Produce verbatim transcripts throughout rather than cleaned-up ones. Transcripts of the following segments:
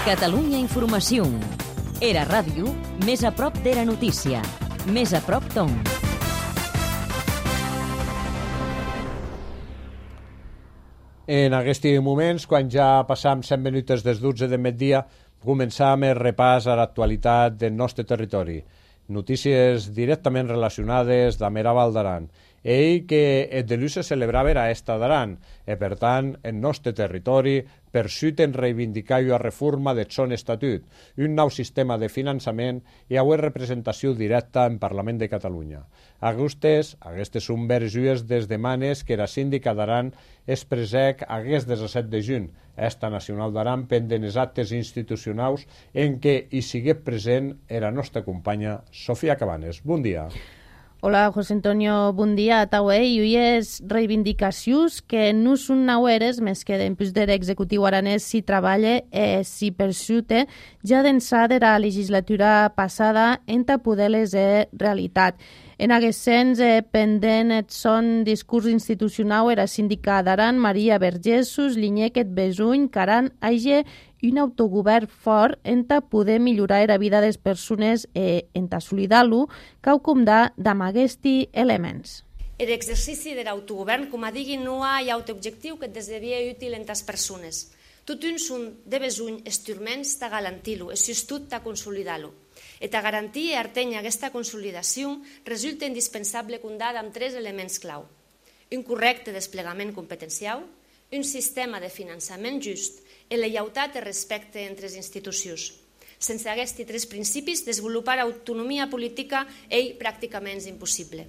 Catalunya Informació. Era ràdio, més a prop d'Era Notícia. Més a prop d'on. En aquests moments, quan ja passam cent minuts des dotze de migdia, començam el repàs a l'actualitat del nostre territori. Notícies directament relacionades amb Era Val d'Aran. Ell que el dilluns se celebrava a Esta d'Aran, i per tant, el nostre territori persuten reivindicar la reforma del son estatut, un nou sistema de finançament i avui representació directa en Parlament de Catalunya. Aquestes, aquestes són verges des demanes que la síndica d'Aran expressec aquest disset de juny, Esta Nacional d'Aran, pendent els actes institucionals en què hi sigué present la nostra companya Sofia Cabanes. Bon dia. Hola, José Antonio, bon dia a tauè. I uies reivindicacions que no són naueres, més que dempús de l'executiu aranès si treballa e si persute, ja d'ençà de la legislatura passada enta poder-les e realitat. En aquest sens, eh, pendent et son discurs institucional era síndica d'Aran, Maria Vergessos, Linyec et Besuny, Caran, hagi un autogovern fort enta poder millorar la vida de les persones e enta assolidar-lo, cau com da d'amb aquests elements. L'exercici de l'autogovern, com a digui, no hi ha autoobjectiu que desdevia útil en les persones. Tot un són de besuny instruments de garantir-lo, és justut de consolidar-lo. E a garantir i arteny aquesta consolidació resulta indispensable comptar amb tres elements clau. Un correcte desplegament competencial, un sistema de finançament just i la lleialtat i respecte entre les institucions. Sense aquests tres principis, desenvolupar autonomia política és pràcticament impossible.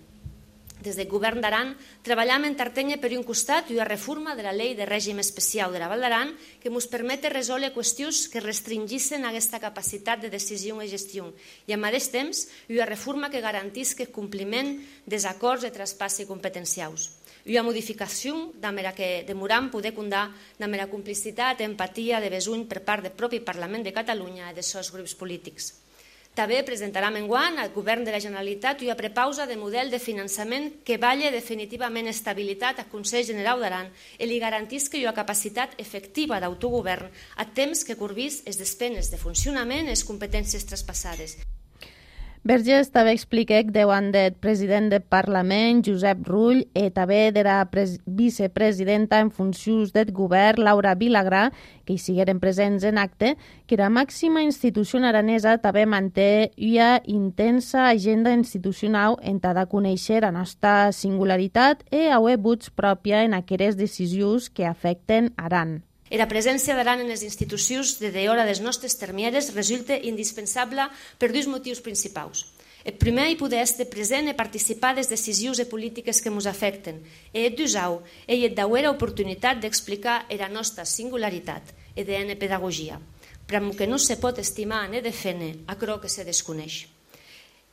Des del govern d'Aran, treballem en Tartenya per un costat i una reforma de la llei de règim especial de la Val d'Aran que ens permet resoldre qüestions que restringissin aquesta capacitat de decisió i gestió i al mateix temps una reforma que garantisca el compliment dels acords de traspàs competencials. Una modificació amb la que demoram poder comptar amb la complicitat i empatia de besuny per part del propi Parlament de Catalunya i dels seus grups polítics. També presentarem enguany al Govern de la Generalitat una prepausa de model de finançament que valli definitivament estabilitat al Consell General d'Aran i li garantisca una capacitat efectiva d'autogovern a temps que corbís les despeses de funcionament i les competències traspassades. Verges també expliquec davant del president del Parlament, Josep Rull, i també de la vicepresidenta en funcions del govern, Laura Vilagrà, que hi sigueren presents en acte, que la màxima institució aranesa també manté una intensa agenda institucional en tal de conèixer la nostra singularitat i haver vots pròpia en aquelles decisions que afecten Aran. I la presència d'Aran en les institucions de d'hora dels nostres termieres resulta indispensable per dos motius principals. El primer, hi poder estar present i participar de les decisions i polítiques que ens afecten. I el dusau, hi ha d'haver l'oportunitat d'explicar la nostra singularitat i de la pedagogia, però que no se pot estimar ni defendre aquello que se desconeix.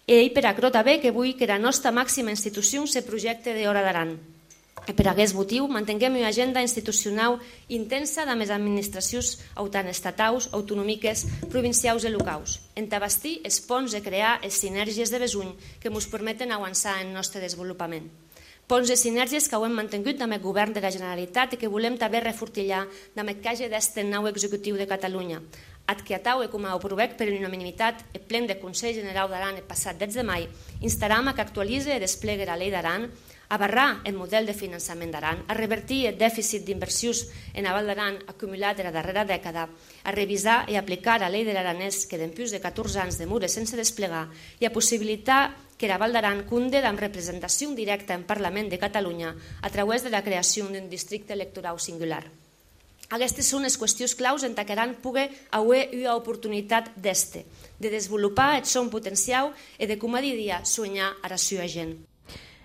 I per aquello també que vull que la nostra màxima institució se projecte d'hora d'Aran. Per aquest motiu, mantinguem una agenda institucional intensa de les administracions estatals, autonòmiques, provincials i locals, en bastir els ponts i crear les sinergies de besuny que ens permeten avançar en el nostre desenvolupament. Ponts i sinergies que ho hem mantingut amb el govern de la Generalitat i que volem també refortillar amb el que hagi d'este nou executiu de Catalunya, ad que atau i com a aprovec per unanimitat el plen del Consell General d'Aran el passat deu de maig, instaram a que actualitzi i desplegui la llei d'Aran, a barrar el model de finançament d'Aran, a revertir el dèficit d'inversions en la Val d'Aran acumulat de la darrera dècada, a revisar i aplicar la llei de l'aranès que d'empús de catorze anys demora sense desplegar i a possibilitar que la Val d'Aran compte amb representació directa en Parlament de Catalunya a través de la creació d'un districte electoral singular. Aquestes són les qüestions claus en què Aran pugui haver una oportunitat d'este, de desenvolupar el seu potencial i de, com a diria, soñar a la seva gent.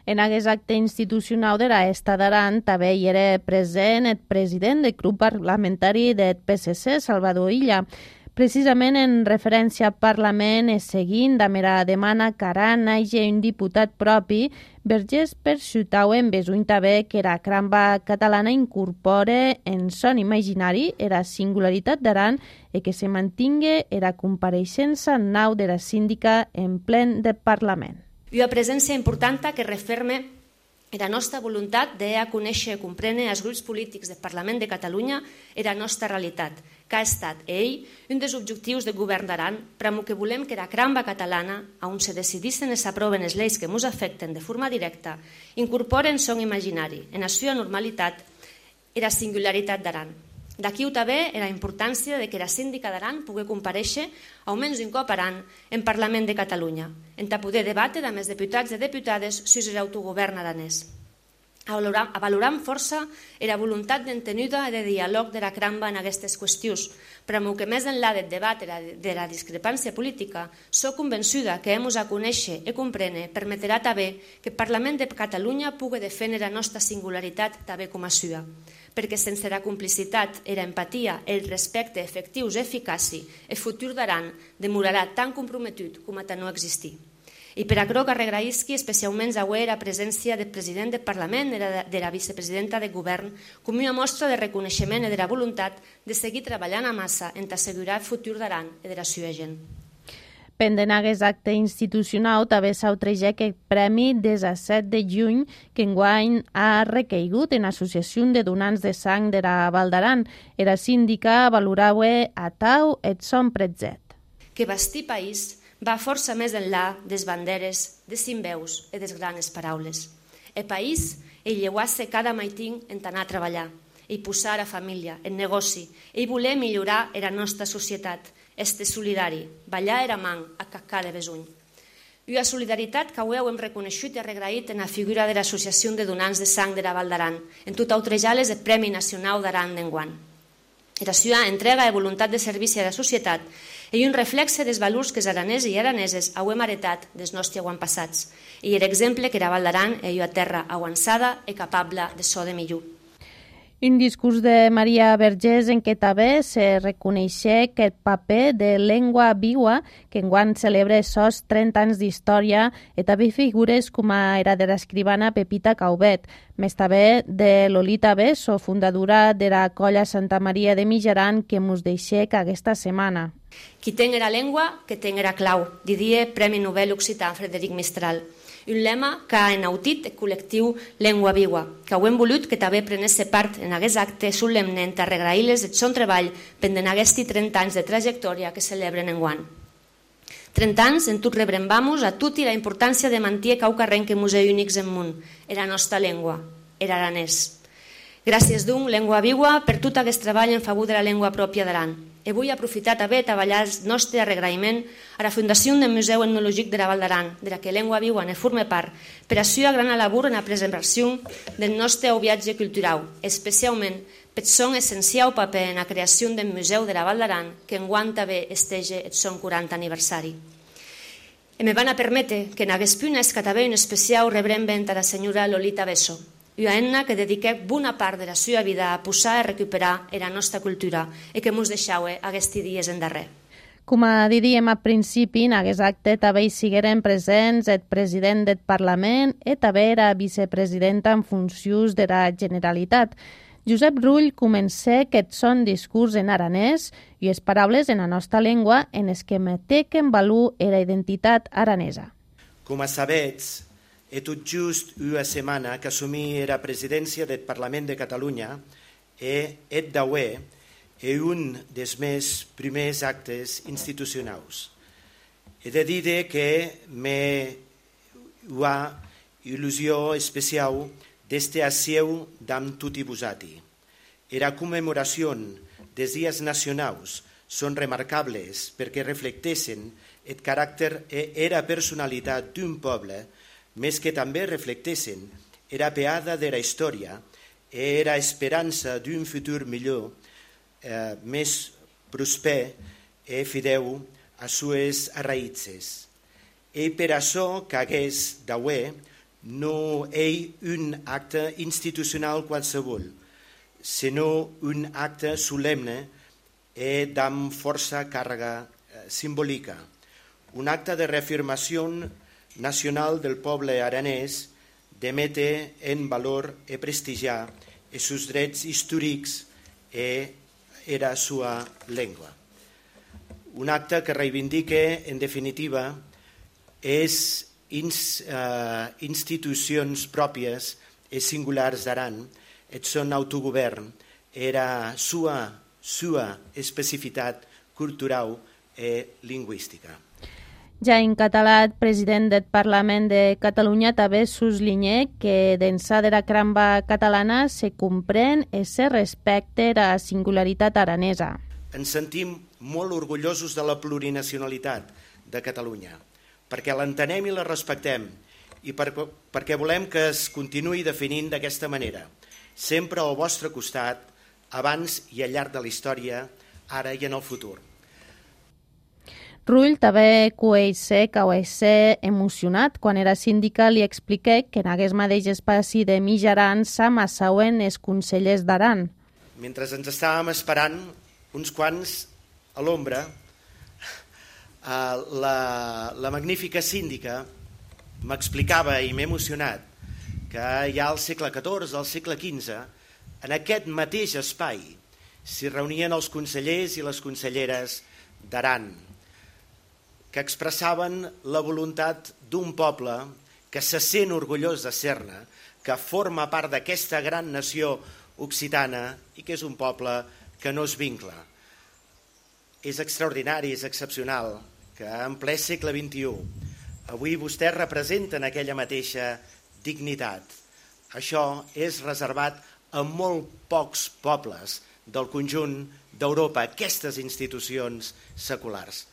En aquest acte institucional de la Esta d'Aran també hi era present el president del grup parlamentari del P S C, Salvador Illa. Precisament en referència al Parlament i seguint amb la demanda que Aran hagi un diputat propi, Verges perxutau en besuny també que la cramba catalana incorpore en son imaginari la singularitat d'Aran i que se mantingui la compareixença nau de la síndica en plen del Parlament. Una presència important que referma Era nostra voluntat de a conèixer i comprendre els grups polítics del Parlament de Catalunya era la nostra realitat, que ha estat, ell, un dels objectius del govern d'Aran, per a que volem que la cramba catalana, on se decidissin i s'aproven les lleis que ens afecten de forma directa, incorporen son imaginari, en la seva normalitat, i la singularitat d'Aran. D'aquí també la importància de que la síndica d'Aran pugui comparèixer almenys un cop Aran en Parlament de Catalunya, en poder debatre amb els diputats i diputades sobre l'autogovern aranès. A valorar, a valorar amb força la voluntat d'entenida i de diàleg de la cramba en aquestes qüestions, però que més enllà del debat de la discrepància política, soc convençuda que hem a conèixer i comprendre permetrà també que el Parlament de Catalunya pugui defendre la nostra singularitat també com a sua, perquè sense la complicitat, la empatia i el respecte efectius i eficaci, el futur d'Aran demorarà tan comprometut com a no existir. I per això que regraïsqui especialment avui la presència del president del Parlament i de la vicepresidenta del govern com una mostra de reconeixement i de la voluntat de seguir treballant a massa en assegurar el futur d'Aran i de la seva gent. Pendent aquest acte institucional, també s'autrejec el Premi disset de juny que enguany ha recaigut en l'Associació de Donants de Sang de la Val d'Aran. Era síndica valorava a tau et son pretzet. Que bastir país va força més enllà des banderes, des simbeus i des grans paraules. El país el lleuar-se cada maitín en anar a treballar, i posar a família, en negoci, i voler millorar la nostra societat, este solidari, ballar era man a caccar de besuny. Una solidaritat que avui hem reconegut i regraït en la figura de l'Associació de Donants de Sang de la Val d'Aran, en tot autrejales el Premi Nacional d'Aran d'enguany. La seva entrega i voluntat de servici a la societat i un reflexe dels valors que els aranesos i araneses hem heretat dels nostres avantpassats i l'exemple que la Val d'Aran és una terra avançada i capable de so de millor. Un discurs de Maria Vergés en què també se reconeixia que el paper de Llengua Viva, que enguany celebra sos trenta anys d'història, i també figures com era de l'escrivana Pepita Caubet, més també de Lolita Besso, fundadora de la colla Santa Maria de Mijaran, que mos deixec aquesta setmana. Qui ten era llengua, que ten era clau, diria Premi Nobel Occità Frederic Mistral. Un lema que ha enautit el col·lectiu Llengua Viva, que ho hem volut que també prenés part en aquest acte solemne a regrair-les el seu treball pendent aquests trenta anys de trajectòria que celebren enguany. trenta anys en tot rebrembamos a tot i la importància de mantenir cau carren que museu únics en món, era la nostra llengua, era aranès. Gràcies d'un Llengua Viva per tot aquest treball en favor de la llengua pròpia d'Aran. I vull aprofitar també a treballar el nostre agraïment a la Fundació del Museu Etnològic de la Val d'Aran, de la que Llengua Viva ne forma part, per a la gran labor en la preservació del nostre viatge cultural, especialment per son essencial paper en la creació del Museu de la Val d'Aran, que enguany també estege el seu quaranta aniversari. I me van a permetre que en aquest punt és que també un especial rebrem a la senyora Lolita Besso, una enna que dediqué bona part de la seva vida a posar i recuperar la nostra cultura i que ens deixau aquests dies en darrer. Com diríem al principi, en aquest acte també hi sigueren presents el president del Parlament i també la vicepresidenta en funcions de la Generalitat. Josep Rull comença aquest son discurs en aranès i les paraules en la nostra llengua en les que meteken valor la identitat aranesa. Com a sabets, he tot just una setmana que assumí la presidència del Parlament de Catalunya i et d'avui és un dels meus primers actes institucionals. He de dir que m'he una il·lusió especial d'este asseu d'amb tot i vosati. Era commemoració dels dies nacionals són remarcables perquè reflecteixen el caràcter i la personalitat d'un poble, més que també reflecteixen la peada de la història i la esperança d'un futur millor, eh, més prosper i fideu a sues arraïtzes. I per això que hagués d'avui no és un acte institucional qualsevol, sinó un acte solemne i amb força càrrega eh, simbòlica. Un acte de reafirmació nacional del poble aranès de metre en valor i prestigiar els seus drets històrics i la seva llengua. Un acte que reivindica, en definitiva, és ins, uh, institucions pròpies e singulars d'Aran, eth son autogovern, era sua, sua especificitat cultural e lingüística. Ja en català, el president del Parlament de Catalunya també sublinha que d'ençà de la cramba catalana se comprèn i se respecta la singularitat aranesa. Ens sentim molt orgullosos de la plurinacionalitat de Catalunya, perquè l'entenem i la respectem i per, perquè volem que es continuï definint d'aquesta manera, sempre al vostre costat, abans i al llarg de la història, ara i en el futur. Rull també coeix que va ser emocionat quan era síndica li expliqué que en aquest mateix espaci de Mijaran s'amassauen els consellers d'Aran. Mentre ens estàvem esperant, uns quants a l'ombra, la, la magnífica síndica m'explicava i m'he emocionat que ja al segle catorze, al segle quinze, en aquest mateix espai s'hi reunien els consellers i les conselleres d'Aran, que expressaven la voluntat d'un poble que se sent orgullós de ser-ne, que forma part d'aquesta gran nació occitana i que és un poble que no es vincla. És extraordinari, és excepcional que en ple segle vint-i-u avui vostès representen aquella mateixa dignitat. Això és reservat a molt pocs pobles del conjunt d'Europa, aquestes institucions seculars.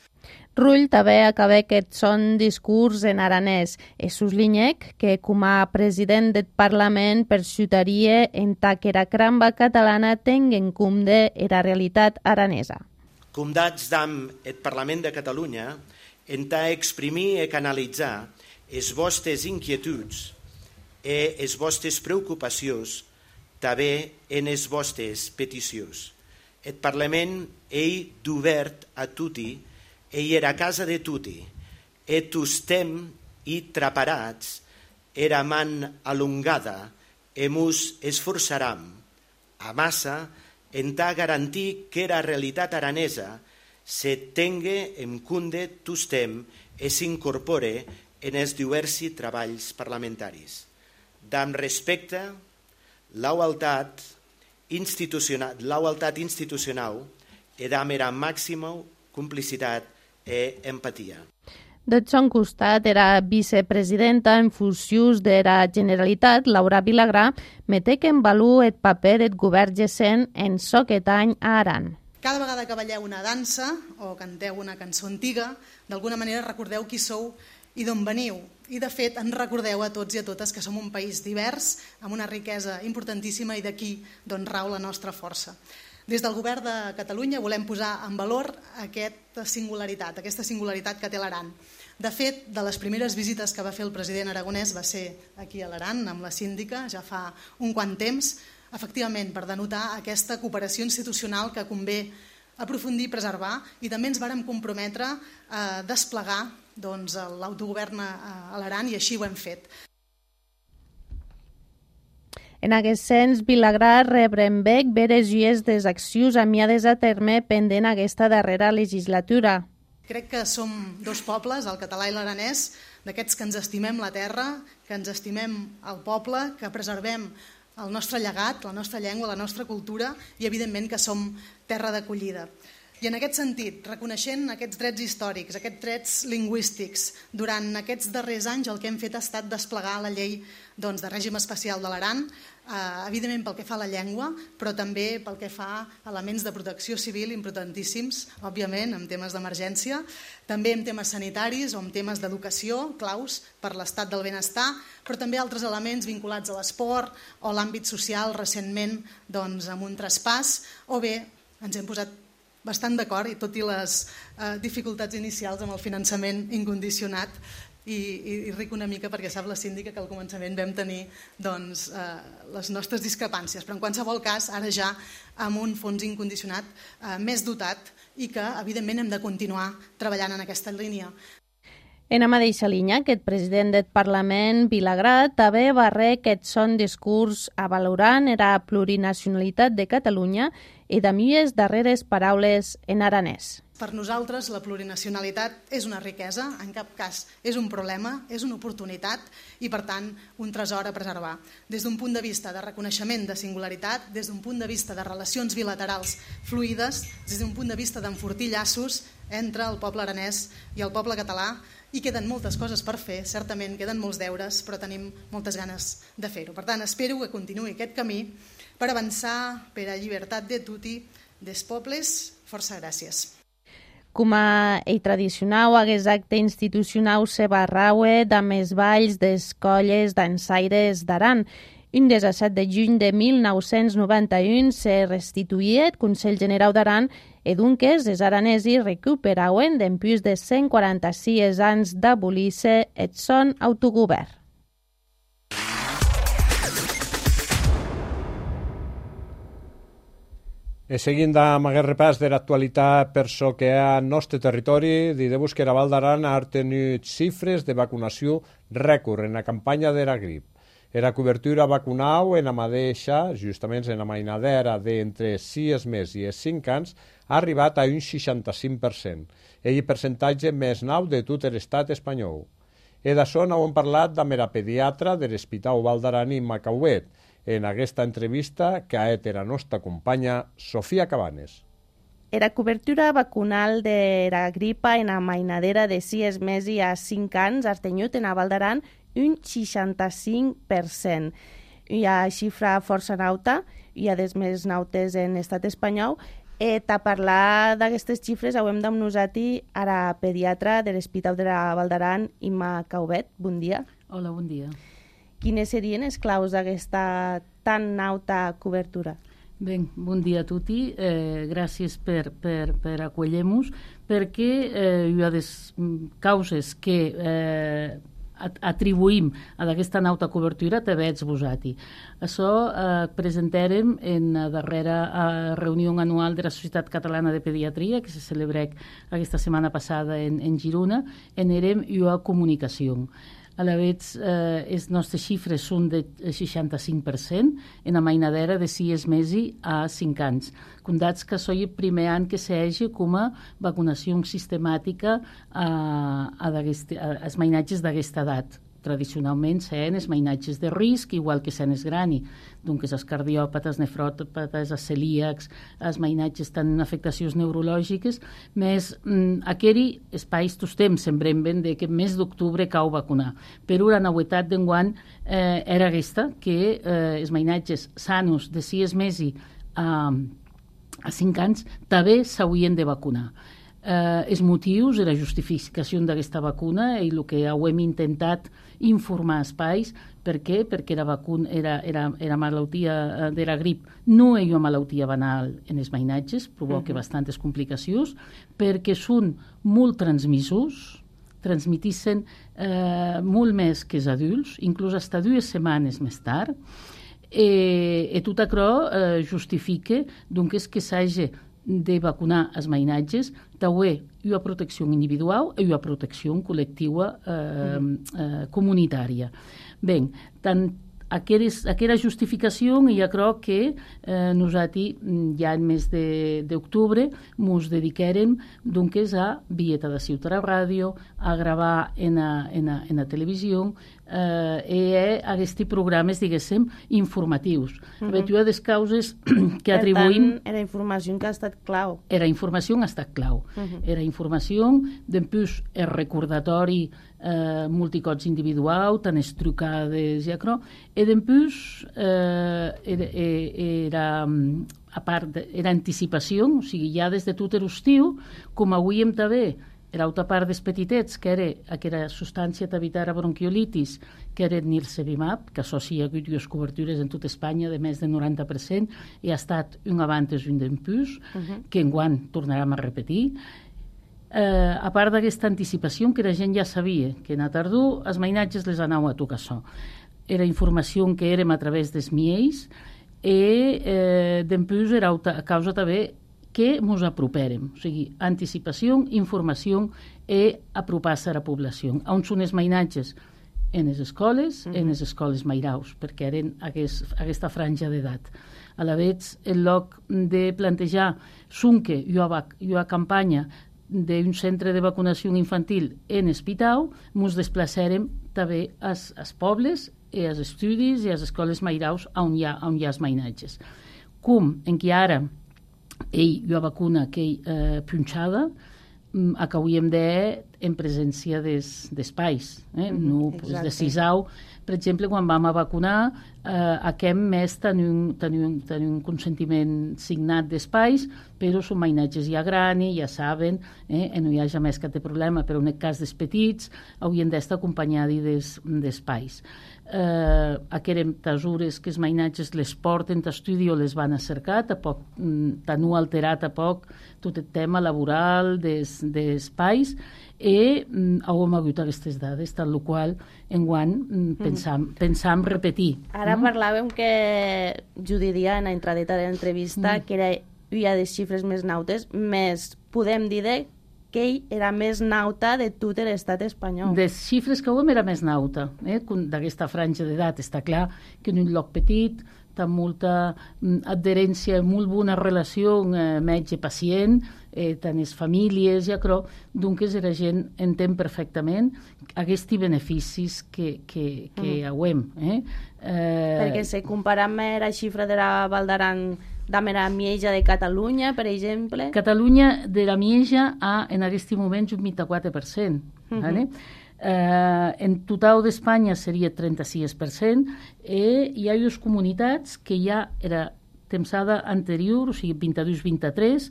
Rull també acaba aquest son discurs en aranès e sublinhèc que com a president del Parlament persuadaria en que la cramba catalana tenga en compte la realitat aranesa. Condats damb eth Parlament de Catalunya entà exprimir e canalitzar es vostres inquietuds e es vostres preocupacions també en es vostres peticions. Et Parlament ei d'obert a tutti ei era casa de tutti, et ustem i traparats, era man alongada, e mus esforçaram, a massa, entà garantir que era realitat aranesa se tengue en cunde tustem e s'incorpore en els diversi treballs parlamentaris. Damb respecte, l'aualtat institucional, l'aualtat institucional e damb era màxima complicitat e empatia. Del son costat, era vicepresidenta en funcions de la Generalitat, Laura Vilagrà, metec en valor el paper del govern gessent en soquet any a Aran. Cada vegada que balleu una dansa o canteu una cançó antiga, d'alguna manera recordeu qui sou i d'on veniu. I, de fet, ens recordeu a tots i a totes que som un país divers, amb una riquesa importantíssima i d'aquí d'on rau la nostra força. Des del govern de Catalunya volem posar en valor aquesta singularitat, aquesta singularitat que té l'Aran. De fet, de les primeres visites que va fer el president aragonès va ser aquí a l'Aran, amb la síndica, ja fa un quant temps, efectivament per denotar aquesta cooperació institucional que convé aprofundir i preservar, i també ens vàrem comprometre a desplegar doncs, l'autogovern a l'Aran i així ho hem fet. En aquest sens, Vilagrà rebrenbec veres lluies des accions amiades a terme pendent aquesta darrera legislatura. Crec que som dos pobles, el català i l'aranès, d'aquests que ens estimem la terra, que ens estimem el poble, que preservem el nostre llegat, la nostra llengua, la nostra cultura i, evidentment, que som terra d'acollida. I en aquest sentit, reconeixent aquests drets històrics, aquests drets lingüístics, durant aquests darrers anys el que hem fet ha estat desplegar la llei doncs, de règim especial de l'Aran, eh, evidentment pel que fa a la llengua, però també pel que fa a elements de protecció civil importantíssims, òbviament, en temes d'emergència, també en temes sanitaris o en temes d'educació, claus per l'estat del benestar, però també altres elements vinculats a l'esport o l'àmbit social recentment doncs, amb un traspàs, o bé ens hem posat bastant d'acord, i tot i les eh, dificultats inicials amb el finançament incondicionat, i, i, i ric una mica perquè sap la síndica que al començament vam tenir doncs, eh, les nostres discrepàncies, però en qualsevol cas ara ja amb un fons incondicionat eh, més dotat i que evidentment hem de continuar treballant en aquesta línia. En la mateixa línia, aquest president del Parlament, Vilagrat, també va re aquest son discurs avalorant la plurinacionalitat de Catalunya i de milles darreres paraules en aranès. Per nosaltres, la plurinacionalitat és una riquesa, en cap cas és un problema, és una oportunitat i, per tant, un tresor a preservar. Des d'un punt de vista de reconeixement de singularitat, des d'un punt de vista de relacions bilaterals fluides, des d'un punt de vista d'enfortir llaços entre el poble aranès i el poble català, i queden moltes coses per fer, certament queden molts deures, però tenim moltes ganes de fer-ho. Per tant, espero que continuï aquest camí per avançar per a llibertat de tutti des pobles. Força gràcies. Com a ell tradicional, hagués acte institucional se barraue damb els balls des colles dansaires d'Aran. Un disset de juny de mil nou-cents noranta-un se restituïa el Consell Generau d'Aran e dunques els aranesos recuperauen dempús de cent quaranta-sis anys d'abolir-se el son autogovern. E seguint amb aquest repàs de l'actualitat per so que hi ha al nostre territori, diré-vos que la Val d'Aran ha tenit xifres de vacunació rècord en la campanya de la grip. La cobertura vacunal en la mateixa, justament en la mainadera d'entre sis mesos i cinc anys, ha arribat a un seixanta-cinc per cent, el percentatge més nou de tot l'estat espanyol. I d'això n'hem parlat amb la pediatra de l'Hospital Val d'Aran i Macauet, en aquesta entrevista que ha fet la nostra companya Sofia Cabanes. La cobertura vacunal de la gripa en la mainadera de sis mesos a cinc anys ha tingut en la Val d'Aran un seixanta-cinc per cent. Hi ha xifra força nauta, hi ha des més nautes en l'estat espanyol. Eh, a parlar d'aquestes xifres hem amb nosaltres a la pediatra de l'Hospital de la Val d'Aran, Imma Caubet. Bon dia. Hola, bon dia. Quines serien les claus d'aquesta tan nauta cobertura? Bé, bon dia a tutti. Eh, gràcies per, per, per acollir-nos, perquè eh, hi ha des causes que eh, atribuïm a aquesta nauta cobertura també ets vosati. Això eh, presentarem en la darrera eh, reunió anual de la Societat Catalana de Pediatria, que se celebra aquesta setmana passada en, en Girona, en érem i a comunicació. A la vegada, eh, les nostres xifres són de seixanta-cinc per cent en la mainadera de sis mesos a cinc anys. Condats que soy el primer any que s'hagi com a vacunació sistemàtica a, a, a als mainatges d'aquesta edat. Tradicionalment sent els mainatges de risc, igual que sent els grani, doncs els cardiòpates, nefròpates, els celíacs, els mainatges tenen afectacions neurològiques, més mm, aqueri espais tots temps sembrem ben de que mes d'octubre cau vacunar. Però la novetat d'enguany eh, era aquesta, que eh, els mainatges sanos de sis mesos a, a cinc anys també s'haurien de vacunar. Eh, els motius i la justificació d'aquesta vacuna i el que hem intentat informar espais. Per què? Perquè la vacuna era, era, era malaltia de la grip, no és una malaltia banal en els mainatges, provoca uh-huh. bastantes complicacions, perquè són molt transmissors, transmitissen eh, molt més que els adults, inclús fins dues setmanes més tard, i, i tot això eh, justifica doncs, que s'hagi de vacunar els mainatges, també hi ha protecció individual i hi ha protecció col·lectiva eh, eh, comunitària. Bé, tant Aqueres, aquella justificació jo crec que eh, nosaltres ja en mes d'octubre ens dedicarem doncs, a Vieta de Ciutat a Ràdio, a gravar en la, en la, en la televisió eh, i a aquests programes, diguéssim, informatius. Uh-huh. Hi ha des causes que atribuïm... Per tant, era informació que ha estat clau. Era informació que ha estat clau. Uh-huh. Era informació, després el recordatori eh, multicots individual, tant es trucades i acro, i després eh, era, era, a part, de, era anticipació, o sigui, ja des de tot l'estiu, com avui hem també, era altra part dels petitets, que era aquella substància d'evitar a bronquiolitis, que era el nirsevimab, que associa a dues cobertures en tota Espanya de més del noranta per cent, i ha estat un abans i un després, uh-huh. que enguany tornarem a repetir. Eh, a part d'aquesta anticipació, que la gent ja sabia que en la tardor els mainatges les anava a tocar això. Era informació que érem a través dels miells i eh, després era a causa també que ens aproperem. O sigui, anticipació, informació i apropar-se a la població. On són els mainatges? En les escoles, mm -hmm. en les escoles mairaus, perquè eren aquest, aquesta franja d'edat. A la vegada, en lloc de plantejar sunque i una campanya d'un centre de vacunació infantil en Espitau, ens desplaçarem també als, als pobles, i als estudis i a les escoles mairaus on hi ha, on hi ha els mainatges. Com en què ara ell hi ha vacuna que ell eh, punxada, acabem de en presència d'espais. Eh? No, pues, de Sisau, per exemple, quan vam a vacunar, eh, aquest mes tenim, tenim, tenim un consentiment signat d'espais, però són mainatges ja grans, ja saben, eh? no hi ha més cap de problema, però en el cas dels petits haurien d'estar acompanyats d'espais. Eh, aquerem tasures que els mainatges les porten d'estudi o les van a cercar, tampoc no alterat a poc tot el tema laboral d'espais, i mm, hem hagut aquestes dades, tal qual enguany mm, pensam, mm. pensam repetir. Ara mm? parlàvem que Judit dia en la entradeta de l'entrevista mm. que era, hi ha les xifres més nautes, més podem dir que ell era més nauta de tot l'estat espanyol. Les xifres que hem era més nauta, eh? D'aquesta franja d'edat. Està clar que en un lloc petit, amb molta adherència, molt bona relació eh, metge-pacient, eh, tant les famílies, ja crec, doncs la gent entén perfectament aquests beneficis que, que, que mm. hauem. Eh? Eh... Perquè si comparem la xifra de la Val d'Aran de la Mieja de Catalunya, per exemple... Catalunya de la Mieja ha en aquest moment un vint-i-quatre per cent. Mm-hmm. ¿Vale? Uh, en total d'Espanya seria trenta-sis per cent, i hi ha dues comunitats que ja era tempsada anterior, o sigui vint-i-dos vint-i-tres,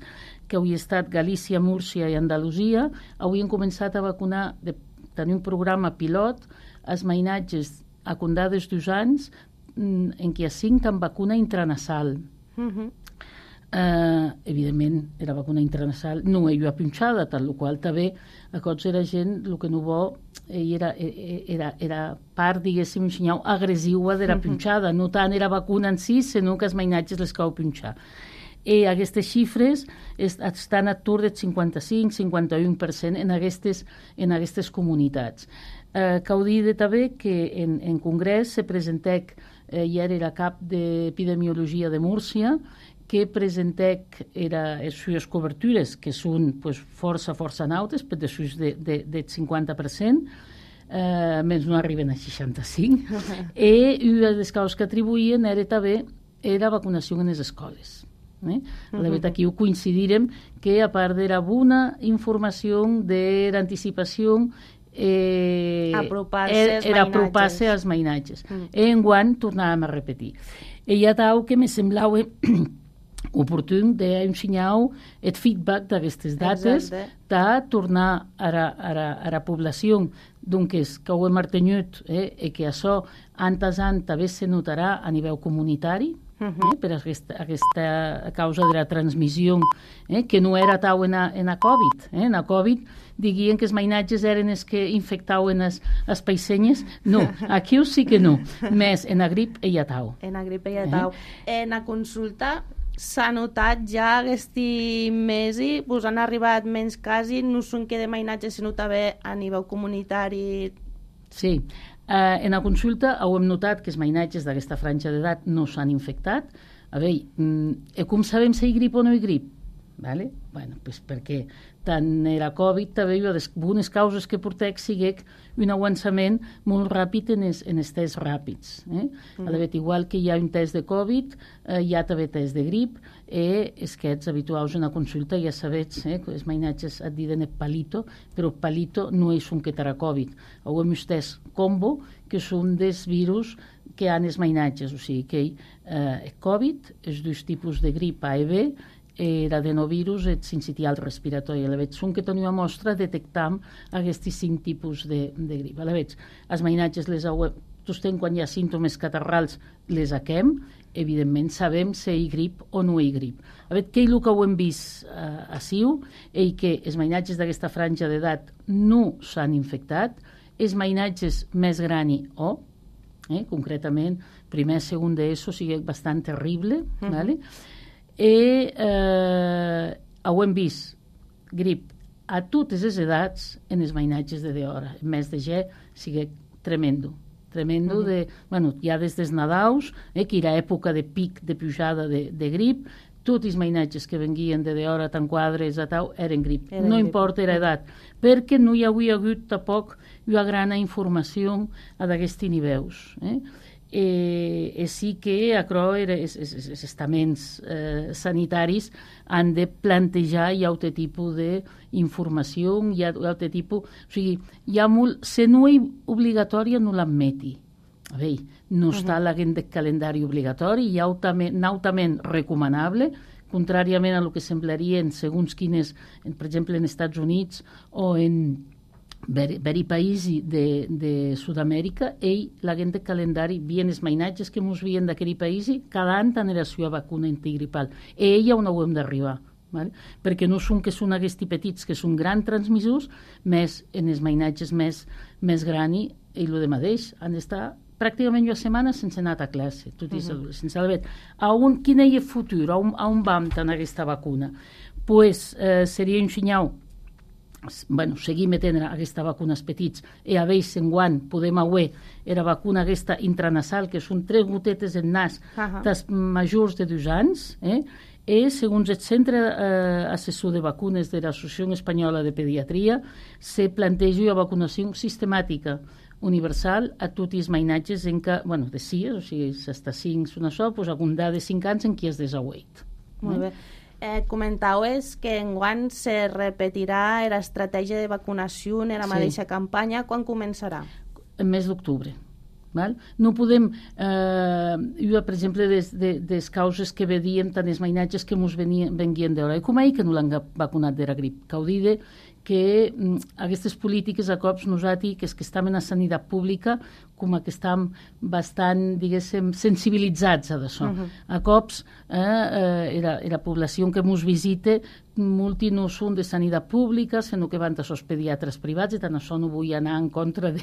que havia estat Galícia, Múrcia i Andalusia, havien començat a vacunar, de tenir un programa pilot, els mainatges a condades dos anys, en què hi ha cinc amb vacuna intranasal. Uh-huh. Uh, evidentment era vacuna intranasal, no ella punxada, tal qual també a cots era gent, el que no vol era, era, era part, diguéssim, un senyal agressiva de la punxada, no tant era vacuna en si, sinó que els mainatges les cau punxar. I aquestes xifres estan a tour del cinquanta-cinc cinquanta-u per cent en aquestes, en aquestes comunitats. Eh, cal dir també que en, en congrés se presentec, eh, ja era cap d'epidemiologia de Múrcia, que presentec era les sues cobertures, que són pues, força, força nautes, per de sus de, de, de cinquanta per cent, eh, menys no arriben a seixanta-cinc, i una de les causes que atribuïen era també era vacunació en les escoles. Eh? La veritat, aquí ho coincidirem que a part de la bona informació, de l'anticipació, eh, apropar-se era apropar-se als mainatges. Mm. I enguany tornàvem a repetir. I ja tau que me semblava oportun d'ensenyar el feedback d'aquestes dates, de tornar a la, a la, a la població doncs, que ho hem mantingut, eh, i que això, antes an, també se notarà a nivell comunitari, Uh-huh. eh, per aquesta, aquesta causa de la transmissió, eh, que no era tau en a, en a Covid. Eh? En a Covid diguen que els mainatges eren els que infectaven els, els paisenyes. No, aquí sí que no. Més en a grip hi ha tau. En a grip hi ha tau. Eh? En a consulta s'ha notat ja aquest mes i pues, han arribat menys casos, no són que de mainatges, sinó també a nivell comunitari. Sí. Uh, en la consulta hem notat que els mainatges d'aquesta franja d'edat no s'han infectat. A veure, mm, com sabem si hi grip o no hi grip? Vale? Bueno, pues perquè tant era Covid també hi ha bones causes que portec siguec un avançament molt ràpid en els, en els tests ràpids. Eh? Mm. A la vegada, igual que hi ha un test de Covid, eh, hi ha també test de grip, i és que ets habituals en la consulta ja sabets, eh, que els mainatges et diuen el palito, però el palito no és un que terà Covid. Ho hem test combo, que són dels virus que han els mainatges, o sigui que eh, el Covid, els dos tipus de grip A i B, l'adenovirus, el sincitial respiratori. A la vegada, són que tenim a mostra detectam aquests cinc tipus de, de grip. A la vegada, els mainatges les hauem, tostem quan hi ha símptomes catarrals, les haquem, evidentment sabem si hi grip o no hi grip. A veure, què és el que ho hem vist eh, a Siu, és que els mainatges d'aquesta franja d'edat no s'han infectat, els mainatges més grans o, eh, concretament, primer, segon d'ESO, sigui bastant terrible, mm-hmm. ¿vale? I eh, hem vist grip a totes les edats en els mainatges de d'hora. El mes de ge sigue tremendo. Tremendo, uh -huh. de, bueno, ja des dels Nadaus, eh, que era època de pic de pujada de, de grip, tots els mainatges que venguien de d'hora, tant quadres a tau, eren grip. Eren no grip. Importa l'edat, perquè no hi havia hagut tampoc una gran informació a d'aquests nivells. Eh? Eh, e sí que aquerò els estaments eh, sanitaris han de plantejar hi ha altre tipus d'informació, hi ha altre tipus... O sigui, hi ha molt... Se no és obligatòria, no l'admeti. A veure, no uh -huh. està a l'agenda de calendari obligatori, hi ha altament recomanable, contràriament a lo que semblarien segons quines, per exemple, en Estats Units o en veri païsi de, de Sud-amèrica, ell, l'agent de calendari, vien els mainatges que mos vien d'aquell païsi, cada any tenen la seva vacuna antigripal. I ella on ho hem d'arribar. Vale? Perquè no són que són aquests petits, que són grans transmissors, més en els mainatges més, més grans, i el de mateix, han d'estar pràcticament una setmana sense anar a classe, tot uh -huh. sense haver. A on, quin és el futur? A on, a on vam tenir aquesta vacuna? Pues eh, seria un senyal, bueno, seguir metent aquesta vacuna als petits i a veure en quan podem haver era vacuna aquesta intranasal, que són tres gotetes en nas uh -huh. dels majors de dos anys, eh? I, segons el Centre eh, Assessor de Vacunes de l'Associació Espanyola de Pediatria, se planteja una vacunació sistemàtica universal a tots els mainatges en què, bueno, de sis, o sigui, fins cinc són això, doncs, algun de cinc anys en què es desaueit. Molt bé. Eh, comentaues que enguany se repetirà l'estratègia de vacunació en la sí. mateixa campanya. Quan començarà? En mes d'octubre. Val? No podem, eh, jo, per exemple, des, de, des causes que vedíem tant els mainatges que ens venien d'hora, i com ahir que no l'han vacunat de la grip, que ho dide que mm, aquestes polítiques a cops nosaltres, que és que estem en la sanitat pública, com que estem bastant, diguéssim, sensibilitzats a d'això. Uh -huh. A cops, eh, eh, la, la població que ens visita, molti no són de sanitat pública, sinó que van a sos pediatres privats, i tant això no vull anar en contra de,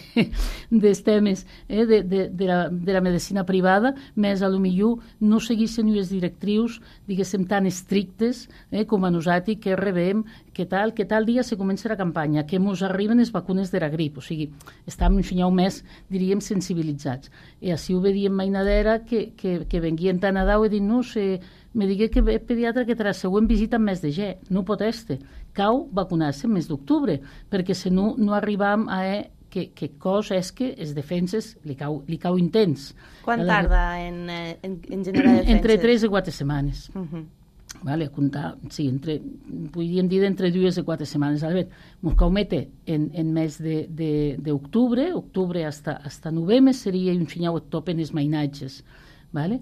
dels temes eh, de, de, de, la, de la medicina privada, més a lo millor no seguissin les directrius, diguéssim, tan estrictes eh, com a nosaltres, que rebem, que tal, que tal dia se comença la campanya, que ens arriben les vacunes de la grip, o sigui, estem un senyal més, diríem, sensibilitzats. I així ho vedíem mainadera, que, que, que venguien tan a dau i dit, no sé, me digué que el pediatre que tra la següent visita en mes de ge, no pot este, cau vacunar-se en mes d'octubre, perquè si no, no arribam a eh, que, que cos és que els defenses li cau, li cau intens. Quan la, tarda en, en, en generar defenses? Entre tres i quatre setmanes. Uh -huh. Vale, a comptar, sí, entre, podríem dir entre dues i quatre setmanes. A veure, ens cau mete en, en mes d'octubre, octubre hasta, hasta novembre seria un senyal top en els mainatges. Vale?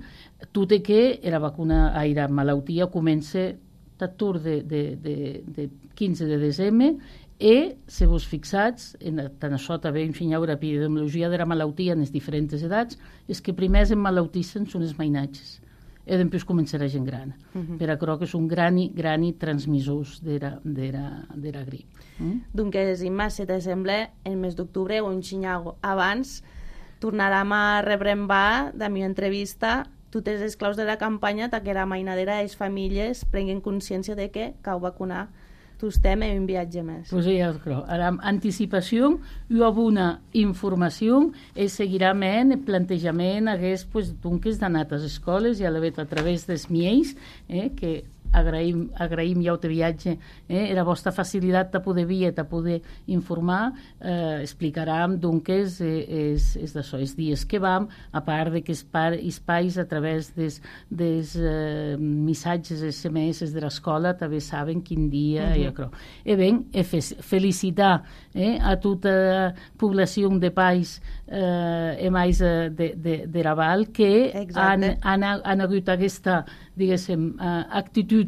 Tot i que la vacuna, ai, la malaltia comença d'atur de, de, de, de quinze de desembre, i, si vos fixats, en, tant això també un senyal l'epidemiologia de la malaltia en les diferents edats, és que primers en malautissin són els mainatges. I després començarà gent gran. Uh -huh. Però crec que són grani, grani transmissors de la, de la, de la grip. Mm? Doncs, Imma, si te sembla, el mes d'octubre o un xinyau abans, tornarem a rebrembar de la meva entrevista totes les claus de la campanya perquè la mainadera i les famílies prenguin consciència de que cal vacunar tots temes i un viatge més. Pues ja ho crec. Ara, anticipació i una informació i seguirà en el plantejament hagués pues, dunques d'anar a les escoles i a la vet a través dels miels, eh, que agraïm, agraïm ja el viatge, eh, la vostra facilitat de poder vir, de poder informar, eh, explicarem dunques eh, és, és d'això, els dies que vam, a part de que els pais a través dels, dels eh, missatges S M S de l'escola també saben quin dia, uh -huh. i acrò. E ben, e felicitar eh, a tota la població de pais eh, e mais de, de, de Raval que han, han, han hagut aquesta, diguéssim, uh, actitud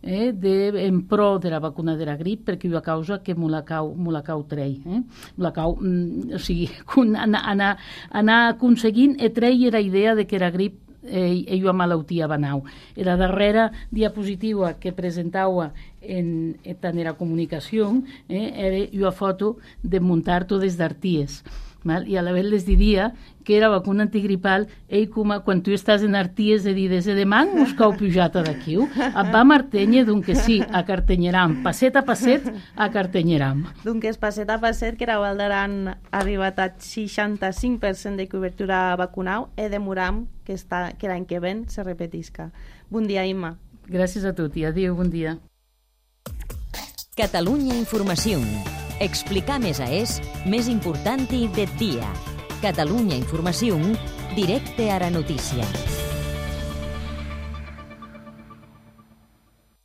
eh, de, en pro de la vacuna de la grip, perquè hi ha causa que me la cau, me la cau trei. Eh? La cau, mm, o sigui, anar, anar, anar aconseguint e treia la idea de que la grip eh, i una malaltia banau. I la darrera diapositiva que presentava en, en la comunicació eh, era una foto de muntar totes d'arties. Val? I a la vegada les diria que era vacuna antigripal, ei, com quan tu estàs en arties de dir, des de demà us cau pujata d'aquí, et va martenye, doncs sí, a Cartenyeram, passet a passet a Cartenyeram. Doncs passet a passet, que la Valdaran ha arribat a seixanta-cinc per cent de cobertura vacunau i demoram que, està, que l'any que ven se repetisca. Bon dia, Imma. Gràcies a tot i adéu, bon dia. Catalunya Informació. Explicar més a és més important i de dia. Catalunya Informació, directe a la notícia.